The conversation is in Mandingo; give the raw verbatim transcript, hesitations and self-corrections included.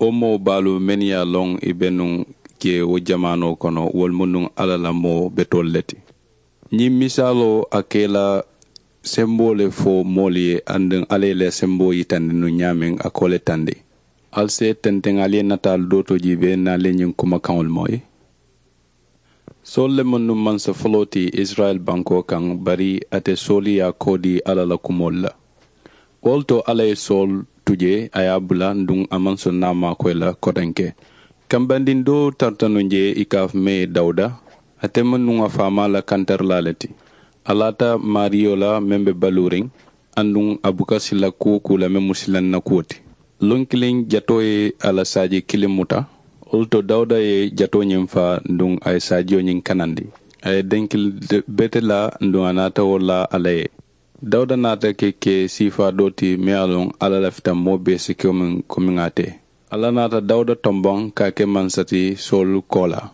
Wo moo baalu mennu ye a loŋ ì be nuŋ jee wo jamaanoo kono wolu mu nuŋ alla la moo betoolu le ti. Ñiŋ misaaloo a ka ì la semboo le fo moolu ye aduŋ alla ye ì la semboo yitandi nuŋ ñaameŋ a ka wo le tandi. Ali si ì tenteŋ ali ye nataalu doo to jiibee niŋ ali ye ñiŋ kumakaŋolu moyi. Soolu le maŋ nuŋ mansa foloo ti isirayila bankoo kaŋ bari ate soolu ye a koo dii alla la kumoolu la. Wo le to alla ye soolu tu jee a ye a bula aduŋ a maŋ soŋ niŋ a maakoyi la kotenke. Kambandiŋ doo tarata nuŋ jee ì ka a fo mee dawuda. Ate maŋ nuŋ a faamaa la kantarilaa le ti. A laata maariyo la meŋ be baluuriŋ aduŋ a buka sila kuwo kuu la meŋ mu silaŋ na kuwo ti. Luŋ kiliŋ jatoo ye a la saaji kiliŋ muta. Wo le to dawuda ye jatoo ñiŋ faa aduŋ a ye saajiyo ñiŋ kanandi. A ye denkili bete laa aduŋ a naata wo laa alla ye. Dawuda naata ke ke siifaa doo ti meŋ ye a loŋ alla lafita moo bee si ke wo meŋ komiŋ a te. Alla naata dawuda tomboŋ ka a ke mansa ti soolu koolaa.